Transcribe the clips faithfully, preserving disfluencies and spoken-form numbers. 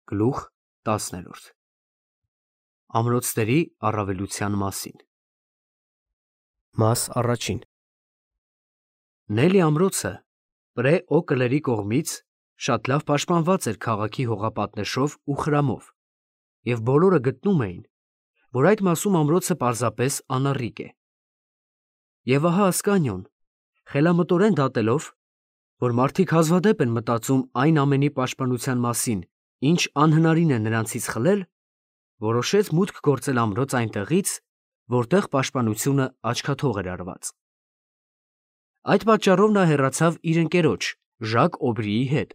Գլուխ տասներորդ Ամրոցների առավելության մասին Մաս առաջին Նելի ամրոցը Պրե Օկլերի կողմից շատ լավ պաշտպանված էր քաղաքի հողապատնեշով ու խրամով, և բոլորը գտնում էին, որ այդ մասում ամրոցը պարզապես անառիկ է։ Եվ ահա Ասկանիոն, խելամտորեն դատելով, որ մարդիկ հազվադեպ են մտածում այն ամենի պաշտպանության մասին, ինչ անհնարին է նրանցից խլել, որոշեց մուտք գործել ամրոց այնտեղից, որտեղ պաշտպանությունը աչքաթող էր արված։ Այդ պատճառով նա հեռացավ իր ընկերոջ Ժակ Օբրիի հետ,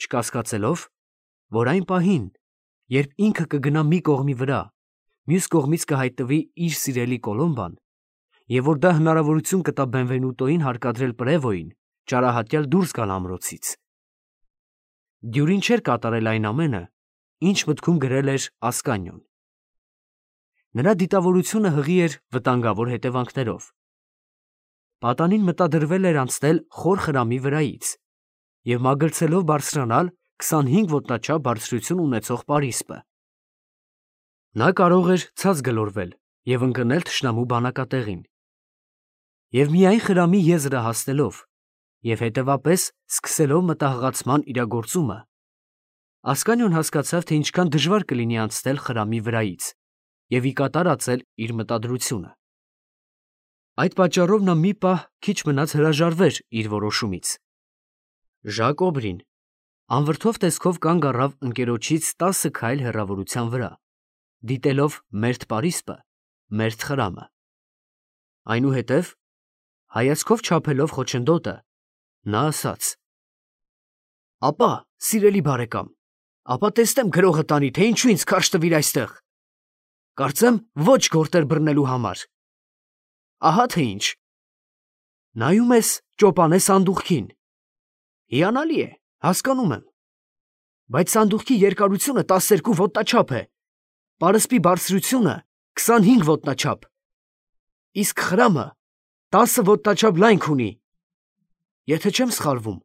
չկասկածելով, որ այն պահին, երբ ինքը կգնա մի կողմի վրա, մյուս կողմից կհայտնվի իր սիրելի Կոլոմբան, և որ դա հնարավորություն կտա Բենվենուտոին հարկադրել Պրևոյին ճարահատյալ դուրս գալ ամրոցից։ Դյուրին չէր կատարել այն ամենը, ինչ մտքում գրել էր Ասկանիոն։ Նրա դիտավորությունը հղի էր վտանգավոր հետևանքներով։ Պատանին մտադրվել էր անցնել խոր խրամի վրայից և մագլցելով բարձրանալ քսանհինգ ոտնաչափ բարձրություն ունեցող պարիսպը։ Նա կարող էր ցած գլորվել և ընկնել թշնամու բանակատեղին։ Եվ միայն խրամի եզրը հասնելով և հետևապես սկսելով մտահղացման իրագործումը, Ասկանիոն հասկացավ, թե ինչքան դժվար կլինի անցնել խրամի վրայից և ի կատար ածել իր մտադրությունը։ Այդ պատճառով նա մի պահ քիչ մնաց հրաժարվեր իր որոշումից։ Ժակ Օբրին անվրդով տեսքով կանգ առավ ընկերոջից տասը քայլ հեռավորության վրա, դիտելով մերթ պարիսպը, մերթ խրամը։ Այնուհետև, հայացքով չափելով խոչընդոտը, նա ասաց. «Ապա, սիրելի բարեկամ, ապա տեսնեմ գրողը տանի, թե ինչու ինձ քարշ տվիր այստեղ։ Կարծեմ ոչ գորտեր բռնելու համար։ Ահա թե ինչ. նայում ես ճոպանե սանդուղքին։ Հիանալի է, հասկանում եմ, բայց սանդուղքի երկարությունը տասներկու ոտնաչափ է, պարսպի բարձրությունը քսանհինգ ոտնաչափ, իսկ խրամը տասը ոտնաչափ լայնք ունի, եթե չեմ սխալվում,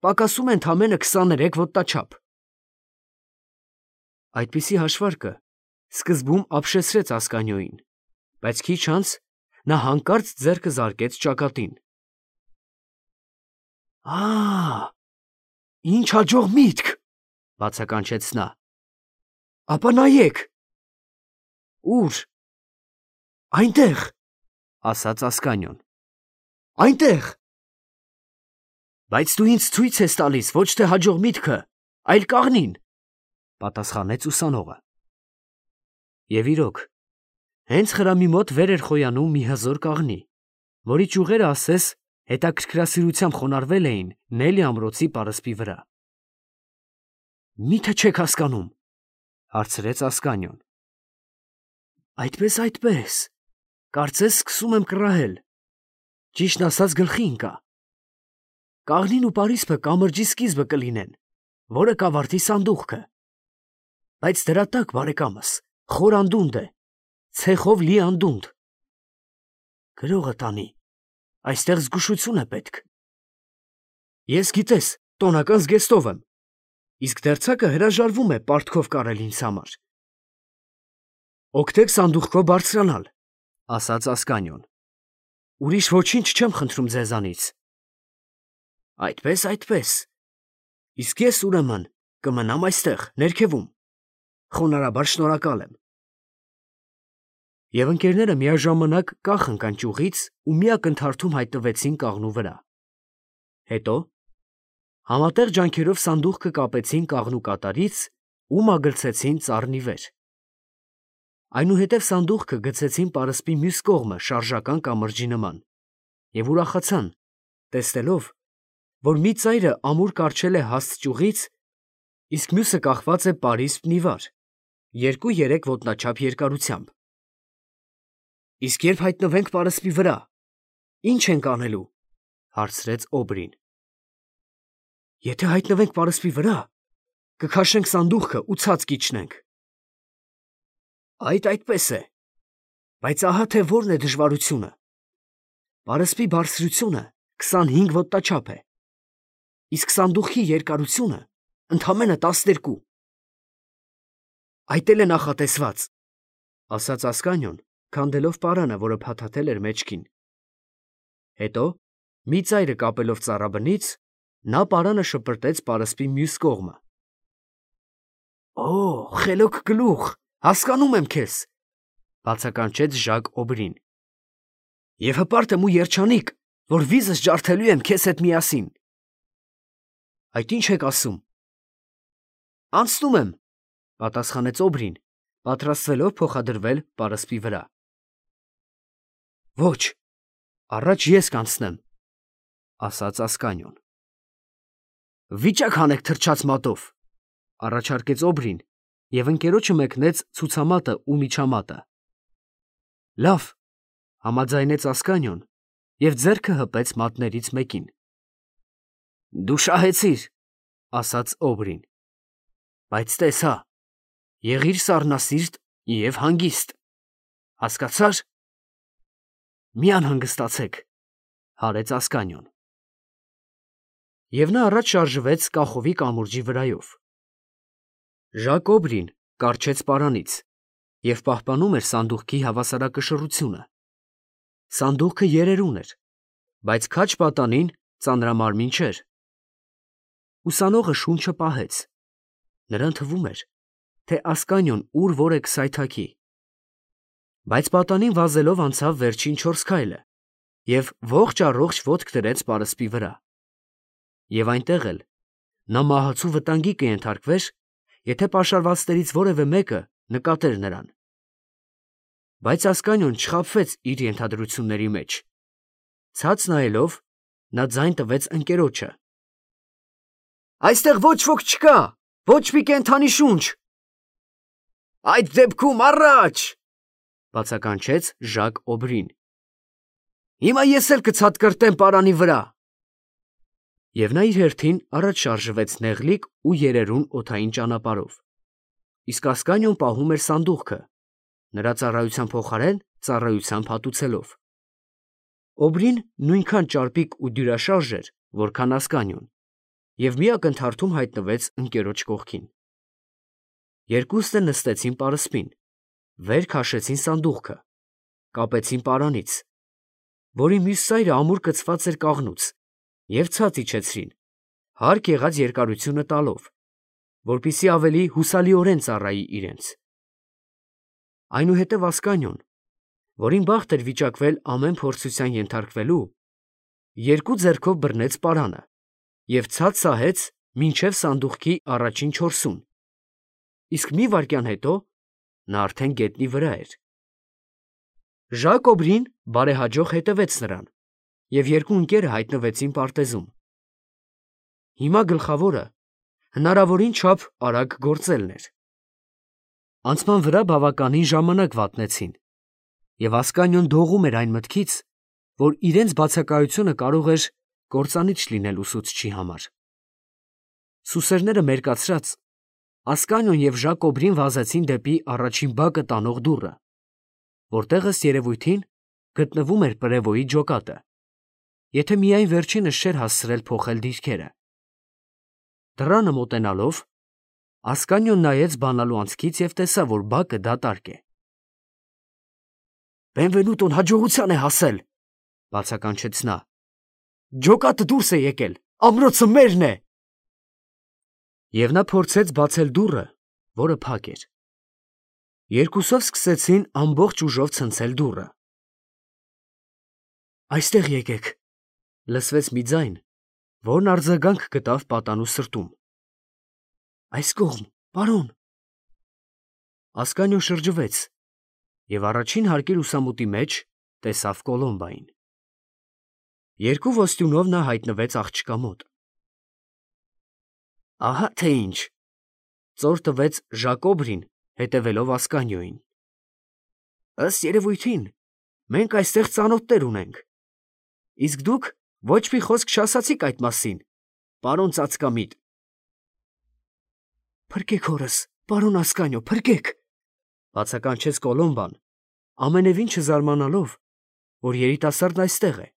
պակասում է ընդամենը քսաներեք ոտնաչափ»։ Այդպիսի հաշվարկը սկզբում ապշեցրեց Ասկանիոյին, բայց քիչ անց նա հանկարծ ձեռքը զարկեց ճակատին։ «Ա՜, ինչ հաջող միտք, ֊ բացականչեց նա, ֊ ապա նայեք»։ «Ո՞ւր»։ «Այնտեղ», ֊ ասաց Ասկանիոն, ֊ «այնտեղ»։ «Բայց դու ինձ ցույց ես տալիս ոչ թե հաջող միտքը, այլ կաղնին», ֊ պատասխանեց ուսանողը։ Եվ իրոք, հենց խրամի մոտ վեր էր խոյանում մի հզոր կաղնի, որի ճյուղերը ասես հետաքրքրասիրությամբ խոնարհվել էին Նելի ամրոցի պարսպի վրա։ «Մի՞թե չեք հասկանում, ֊ հարցրեց Ասկանիոն։ ֊ Այդպես, այդպես, կարծես սկսում եմ կռահել, ճիշտն ասած գլխի ընկա։ Կաղնին ու պարիսպը կամրջի սկիզբը կլինեն, որը կավարտի սանդուղքը։ Բայց դրա տակ, բարեկամս, խոր անդունդ է, ցեխով լի անդունդ։ Գրողը տանի, այստեղ զգուշություն է պետք։ Ես, գիտես, տոնական զգեստով եմ, իսկ դերձակը հրաժարվում է պարտքով կարել ինձ համար։ Օգտեք սանդուղքով բարձրանալ, ֊ ասաց Ասկանիոն։ Ուրիշ ոչինչ չեմ խնդրում ձեզանից։ Այդպես, այդպես, իսկ ես, ուրեմն, կմնամ այստեղ, ներքևում, խոնարհաբար շնորհակալ եմ։ Եվ ընկերները միաժամանակ կախ ընկան ճյուղից ու մի ակնթարթում հայտնվեցին կաղնու վրա։ Հետո համատեղ ջանքերով սանդուղքը կապեցին կաղնու կատարից ու մագլցեցին ծառնի վեր։ Այնուհետև սանդուղքը գցեցին պարսպի մյուս կողմը շարժական կամրջի նման և ուրախացան, տեսնելով, որ մի ծայրը ամուր կառչել է հաստ ճյուղից, իսկ մյուսը կախված է պարիսպն ի վար, երկու֊երեք ոտնաչափ երկարությամբ։ «Իսկ երբ հայտնվենք պարսպի վրա, ի՞նչ ենք անելու, ֊ հարցրեց Օբրին։ «Եթե հայտնվենք պարսպի վրա, կքաշենք սանդուղքը ու ցած կիջնենք»։ Այդ այդպես է, բայց ահա թե որն է դժվարությունը. պարսպի բարձրությունը քսանհինգ ոտնաչափ է, իսկ սանդուղքի երկարությունը ընդամենը տասներկու։ Այդ էլ է նախատեսված, ասաց Ասկանյոն, քանդելով պարանը, որը փաթաթել էր մեջքին։ Հետո, մի ծայրը կապելով ծառաբնից, նա պարանը շպրտեց պարսպի մյուս կողմը։ Օ, խելոք գլուխ, հասկանում եմ քեզ, բացականչեց Ժակ Օբրին։ Եվ հպարտ եմ ու երջանիկ, որ վիզս ջարդելու եմ քեզ հետ միասին։ Այդ ինչ եք ասում։ Անցնում եմ, պատասխանեց Օբրին, պատրաստվելով փոխադրվել պարսպի վրա։ Ոչ, առաջ ես կանցնեմ, ասաց Ասկանյոն։ Վիճակ հանեք թրջած մատով, առաջարկեց Օբրին, և ընկերոջը մեկնեց ցուցամատը ու միջամատը։ Լավ, համաձայնեց Ասկանյոն և ձեռքը հպեց մատներից մեկին։ Դու շահեցիր, ասաց Օբրին, բայց տես հա, եղիր սառնասիրտ և հանգիստ, հասկացա՞ր։ Մի անհանգստացեք, հարեց Ասկանյոն։ Եվ նա առաջ շարժվեց կախովի կամուրջի վրայով։ Ժակ Օբրին կառչեց պարանից և պահպանում էր սանդուղքի հավասարակշռությունը։ Սանդուղքը երերուն էր, բայց քաջ պատանին ծանրամարմին չէր։ Ուսանողը շունչը պահեց։ Նրան թվում էր, թե Ասկանյոն ուր որ է կսայթաքի։ Բայց պատանին վազելով անցավ վերջին չորս քայլը և ողջ առողջ ոտք դրեց պարսպի վրա։ Եվ այնտեղ էլ նա մահացու վտանգի կենթարկվեր, եթե պաշարվածներից որևէ մեկը նկատեր նրան։ Բայց Ասկանյոն չխաբվեց իր ենթադրությունների մեջ։ Ցած նայելով, նա ձայն տվեց ընկերոջը. Այստեղ ոչ ոք չկա, ոչ մի կենդանի շունչ։ Այդ դեպքում առաջ, բացականչեց Ժակ Օբրին։ Հիմա ես էլ կցատկրտեմ պարանի վրա։ Եվ նա իր հերթին առաջ շարժվեց նեղլիկ ու երերուն օդային ճանապարհով, իսկ Ասկանյոն պահում էր սանդուղքը, նրա ծառայության փոխարեն ծառայությամբ հատուցելով։ Օբրին նույնքան ճարպիկ ու դյուրաշարժ էր, որքան Ասկանյոն, և մի ակնթարթում հայտնվեց ընկերոջ կողքին։ Երկուսն էլ նստեցին պարսպին, վեր քաշեցին սանդուղքը, կապեցին պարանից, որի մյուս ծայրը ամուր կցված էր կաղնուց, և ցած իջեցրին, հարկ եղած երկարությունը տալով, որպեսզի ավելի հուսալիորեն ծառայի իրենց։ Այնուհետև Ասկանյոն, որին բախտ էր վիճակվել ամեն փորձության ենթարկվելու, երկու ձեռքով բռնեց պարանը և ցած սահեց մինչև սանդուղքի առաջին չորսում, իսկ մի վայրկյան հետո նա արդեն գետնի վրա էր։ Ժակ Օբրին բարեհաջող հետևեց նրան, և երկու ընկերը հայտնվեցին պարտեզում։ Հիմա գլխավորը հնարավորին չափ արագ գործելն էր։ Անցման վրա բավականին ժամանակ վատնեցին, և Ասկանյոն դողում էր այն մտքից, որ իրենց բացակայությունը կարող էր կործանիչ լինել ուսուցչի համար։ Սուսերները մերկացրած, Ասկանյոն և Ժակ Օբրին վազեցին դեպի առաջին բակը տանող դուռը, որտեղ ըստ երևույթին գտնվում էր պրևոյի ջոկատը, եթե միայն վերջինս չէր հասցրել փոխել դիրքերը։ Դռանը մոտենալով, Ասկանյոն նայեց բանալու անցքից և տեսավ, որ բակը դատարկ է։ Բենվենուտոն հաջողության է հասել, բացականչեց նա։ Ջոկատը դուրս է եկել, ամրոցը մերն է։ Եվ նա փորձեց բացել դուռը, որը փակ էր։ Երկուսով սկսեցին ամբողջ ուժով ցնցել դուռը։ Այստեղ եկեք, լսվեց մի ձայն, որն արձագանք գտավ պատանու սրտում։ Այս կողմ, պարոն։ Ասկանյոն շրջվեց և առաջին հարկի լուսամուտի մեջ տեսավ Կոլոմբային։ Երկու ոստյունով նա հայտնվեց աղջկա մոտ։ Ահա թե ինչ, ծոր տվեց Ժակ Օբրին, հետևելով Ասկանյոյին։ Ըստ երևույթին, մենք այստեղ ծանոթներ ունենք, իսկ դուք ոչ մի խոսք չասացիք այդ մասին, պարոն ծածկամիտ։ Փրկեք հորս, պարոն Ասկանյո, փրկեք, բացականչեց Կոլոմբան, ամենևին չզարմանալով, որ երիտասարդն այստեղ է։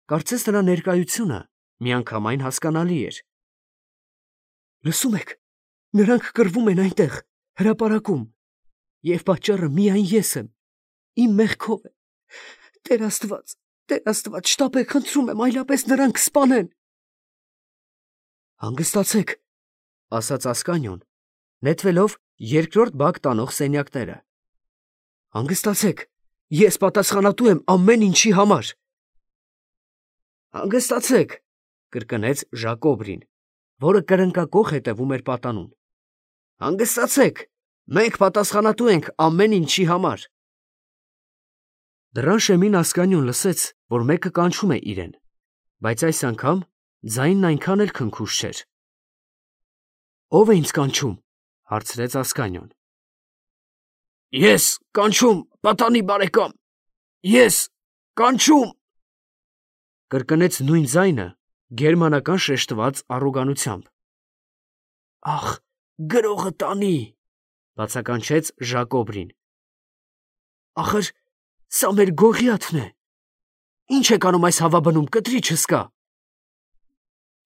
Կարծես նրա ներկայությունը միանգամայն հասկանալի էր։ Լսում եք, նրանք կռվում են այնտեղ, հրապարակում, և պատճառը միայն ես եմ, իմ մեղքով է, Տեր Աստված, Տեր Աստված, շտապեք, խնդրում եմ, այլապես նրան կսպանեն։ Հանգստացեք, ասաց Ասկանյոն, նետվելով երկրորդ բակ տանող սենյակները։ Հանգստացեք, ես պատասխանատու եմ ամեն ինչի համար։ Հանգստացեք, կրկնեց Ժակոբրին, որը կրնկակոխ հետևում էր պատանուն։ Հանգստացեք, մենք պատասխանատու ենք ամեն ինչի համար։ Դռան շեմին Ասկանյոն լսեց, որ մեկը կանչում է իրեն, բայց այս անգամ ձայնն այնքան էլ քնքուշ չէր։ Ո՞վ է ինձ կանչում, հարցրեց Ասկանյոն։ Ես կանչում, պատանի բարեկամ, ես կանչում, կրկնեց նույն ձայնը գերմանական շեշտված առոգանությամբ։ Ախ, գրողը տանի, բացականչեց Ժակոբրին։ Ախր, սա մեր Գողիաթն է։ Ինչ եք անում այս հավաբնում, կտրիչս կա։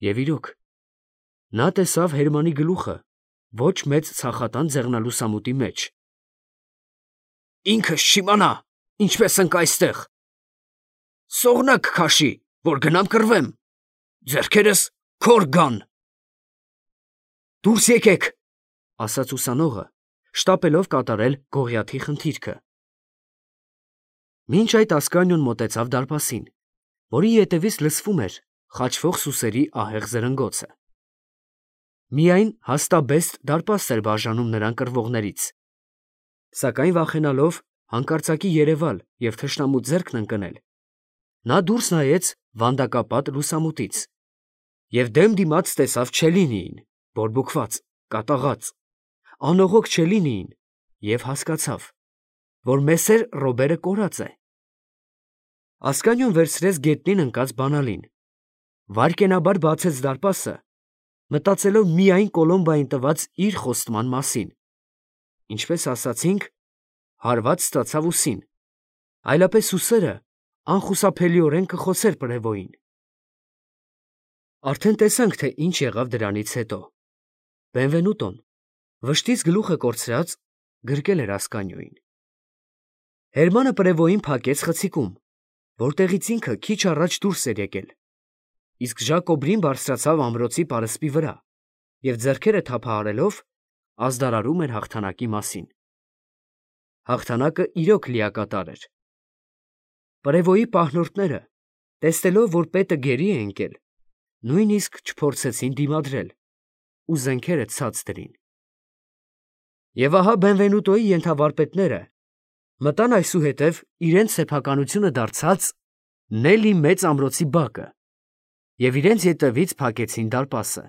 Եվ իրոք, նա տեսավ Հերմանի գլուխը ոչ մեծ ցախատան ձեղնալուսամուտի մեջ։ Ինքս չիմանա, ինչպես ընկ այստեղ։ Սողնակ քաշի, որ գնամ կռվեմ, ձեռքերս քոր գան։ Դուրս եկեք, ասաց ուսանողը, շտապելով կատարել Գողիաթի խնդիրքը։ Մինչ այդ Ասկանյոն մոտեցավ դարպասին, որի ետևից լսվում էր խաչվող սուսերի ահեղ զրնգոցը։ Միայն հաստաբեստ դարպաստ էր բաժանում նրան կռվողներից, սակայն վախենալով հանկարծակի երևալ և թշնամու ձեռքն ընկնել, նա դուրս նայեց վանդակապատ լուսամուտից և դեմ դիմաց տեսավ Չելինիին, բորբոքված, կատաղած, անողոք Չելինիին և հասկացավ, որ Մեսեր Ռոբերը կորած է։ Ասկանյոն վերցրեց գետնին ընկած բանալին, վայրկենաբար բացեց դարպասը, մտածելով միայն Կոլոմբային տված իր խոստման մասին, ինչպես ասացինք, հարված ստացավ ուսին, այլապես ուսերը անխուսափելիորեն կխոցեր պրևոյին։ Արդեն տեսանք, թե ինչ եղավ դրանից հետո։ Բենվենուտոն, վշտից գլուխը կորցրած, գրկել էր Ասկանյոյին։ Հերմանը պրևոյին փակեց խցիկում, որտեղից ինքը քիչ առաջ դուրս էր եկել, իսկ Ժակոբրին բարձրացավ ամրոցի պարսպի վրա և ձեռքերը թափահարելով ազդարարում էր հաղթանակի մասին։ Հաղթանակը իրոք լիակատար էր։ Պրևոյի պահնորդները, տեսնելով, որ պետը գերի է ընկել, նույնիսկ չփորձեցին դիմադրել ու զենքերը ցած դրին։ Եվ ահա Բենվենուտոյի ենթավարպետները մտան այսուհետև իրենց սեփականությունը դարձած Նելի մեծ ամրոցի բակը և իրենց ետևից փակեցին դարպասը,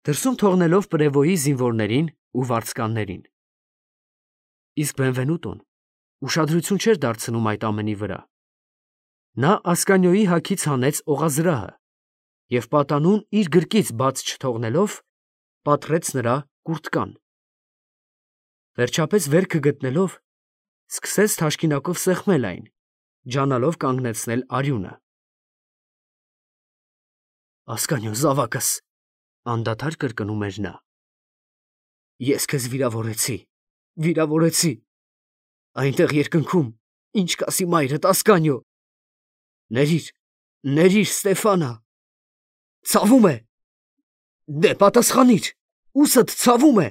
դրսում թողնելով պրևոյի զինվորներին ու վարձկաններին։ Իսկ Բենվենուտոն ուշադրություն չէր դարձնում այդ ամենի վրա։ Նա Ասկանյոյի հագից հանեց օղազրահը և պատանուն իր գրկից բաց չթողնելով, պատռեց նրա կուրտկան։ Վերջապես վերքը գտնելով, սկսեց թաշկինակով սեղմել այն, ջանալով կանգնեցնել արյունը։ Ասկանյոն զավակս, անդադար կրկնում էր նա, ես քեզ վիրավորեցի, վիրավորեցի, այնտեղ երկնքում, ինչ կասի մայրդ, Ասկանյո, ներիր, ներիր, Ստեֆանա, ցավում է, դե պատասխանիր, ուսդ ցավում է,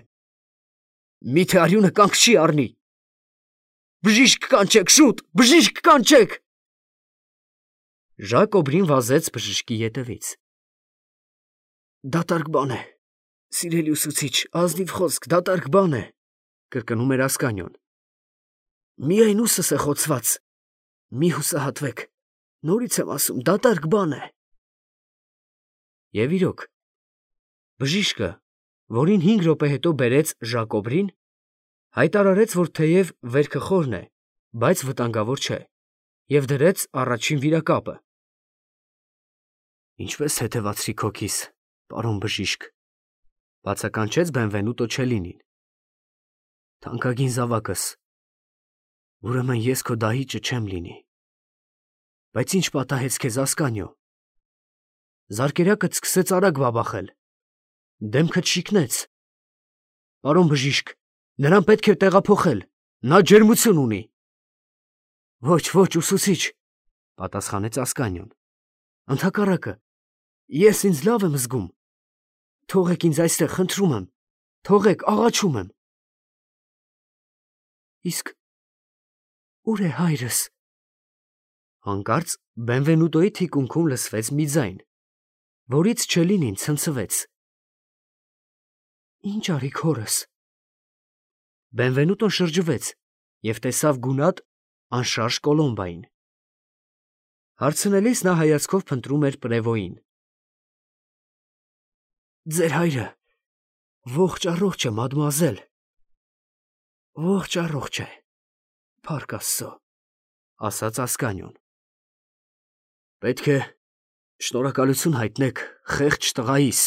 միթե արյունը կանգ չի առնի, բժիշկ կանչեք, շուտ, բժիշկ կանչեք։ Ժակոբրին վազեց բժշկի ետևից։ Դատարկ բան է, սիրելի ուսուցիչ, ազնիվ խոսք, դատարկ բան է, կրկնում էր Ասկանյոն։ Միայն ուսս է խոցված, մի հուսահատվեք, նորից եմ ասում, դատարկ բան է։ Եվ իրոք, բժիշկը, որին հինգ րոպե հետո բերեց Ժակոբրին, հայտարարեց, որ թեև վերքը խորն է, բայց վտանգավոր չէ, և դրեց առաջին վիրակապը։ Ինչպես հետևացրի քո քիս, պարոն բժիշկ, բացականչեց Բենվենուտո Չելինին։ Թանկագին զավակս, ուրեմն ես քո դահիճը չեմ լինի։ Բայց ինչ պատահեց քեզ, Ասկանյո։ Զարկերակդ սկսեց արագ բաբախել, դեմքդ շիկնեց։ Պարոն բժիշկ, Նրան պետք է տեղափոխել, նա ջերմություն ունի։ Ոչ, ոչ, ուսուցիչ, պատասխանեց Ասկանյոն։ Ընդհակառակը, ես ինձ լավ եմ զգում։ Թողեք ինձ այստեղ, խնդրում եմ, թողեք, աղաչում եմ։ Իսկ ուր է հայրս։ Հանկարծ Բենվենուտոյի թիկունքում լսվեց մի ձայն, որից Չելինին ցնցվեց։ Ինչ արի քորս։ Բենվենուտոն շրջվեց և տեսավ գունատ, անշարժ Կոլոմբային։ Հարցնելիս նա հայացքով փնտրում էր Պրևոյին։ Ձեր հայրը ողջ առողջ է, մադմուազել, ողջ առողջ է, փառք Աստծո, ասաց Ասկանյոն։ Պետք է շնորհակալություն հայտնեք խեղճ տղայիս,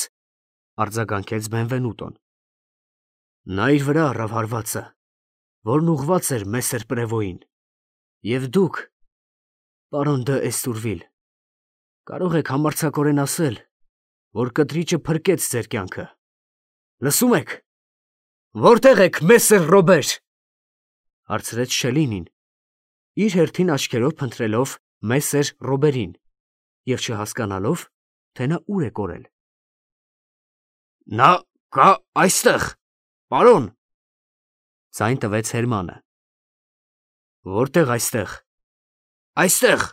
արձագանքեց Բենվենուտոն։ Նա իր վրա առավ հարվածը, որն ուղղված էր Մեսեր Պրևոյին, և դուք, պարոն դ'Էստուրվիլ, կարող եք համարձակորեն ասել, որ կտրիճը փրկեց ձեր կյանքը։ Լսում եք, որտե՞ղ եք Մեսեր Ռոբեր, հարցրեց Շելինին, իր հերթին աչքերով փնտրելով Մեսեր Ռոբերին և չհասկանալով, թե նա ուր է կորել։ Նա կա այստեղ, պարոն, ձայն տվեց Հերմանը։ Որտե՞ղ այստեղ։ Այստեղ,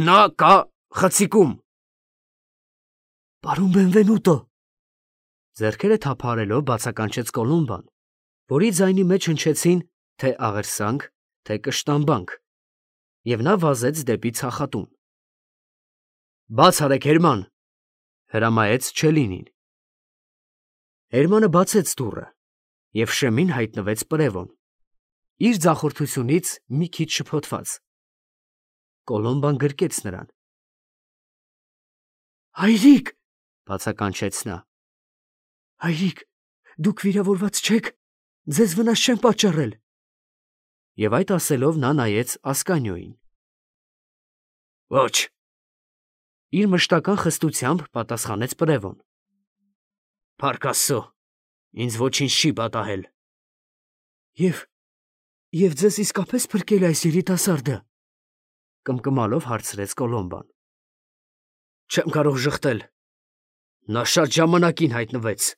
նա կա խցիկում։ Պարոն Բենվենուտո, ձեռքերը թափահարելով բացականչեց Կոլոմբան, որի ձայնի մեջ հնչեցին թե աղերսանք, թե կշտամբանք, և նա վազեց դեպի ցախատուն։ Բաց արեք, Հերման, հրամայեց Չելինին։ Հերմանը բացեց դուռը, և շեմին հայտնվեց Պրևոն, իր ձախորդությունից մի քիչ շփոթված։ Կոլոմբան գրկեց նրան։ Հայրիկ, բացականչեց նա։ Հայրիկ, դուք վիրավորված չեք, ձեզ վնաս չեմ պատճառել։ Եվ այդ ասելով նա նայեց Ասկանյոյին։ Ոչ, իր մշտական խստությամբ պատասխանեց Պրևոն։ Փառք Աստծո, ինձ ոչինչ չի պատահել։ Եվ և ձեզ իսկապես փրկել է այս երիտասարդը, կմկմալով հարցրեց Կոլոմբան։ Չեմ կարող ժխտել, նա շատ ժամանակին հայտնվեց։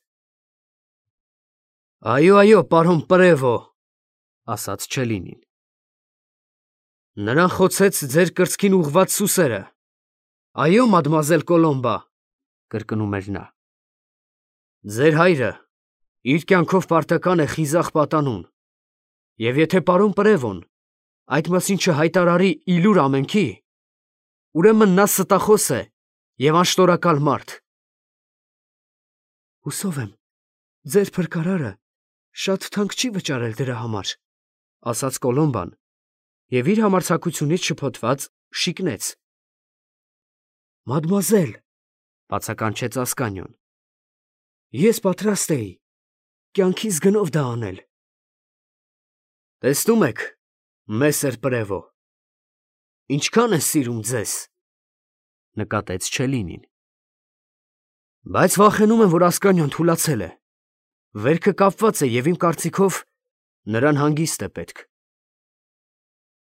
Այո, այո, պարոն Պրևո, ասաց Չելինին։ Նրան խոցեց ձեր կրծքին ուղղված սուսերը։ Այո, մադմուազել Կոլոմբա, կրկնում էր նա։ Ձեր հայրը իր կյանքով պարտական է խիզախ պատանուն, և եթե պարոն Պրևոն այդ մասին չհայտարարի ի լուր ամենքի, ուրեմն նա ստախոս է և անշնորհակալ մարդ։ Հուսով եմ, ձեր փրկարարը շատ թանկ չի վճարել դրա համար, ասաց Կոլոմբան և իր համարձակությունից շփոթված շիկնեց։ Մադմուազել, բացականչեց Ասկանյոն, ես պատրաստ էի կյանքիս գնով դա անել։ Տեսնում եք, Մեսեր Պրևո, ինչքան է սիրում ձեզ, նկատեց Չելինին։ Բայց վախենում եմ, որ Ասկանյոն թուլացել է։ Վերքը կապված է և իմ կարծիքով նրան հանգիստ է պետք։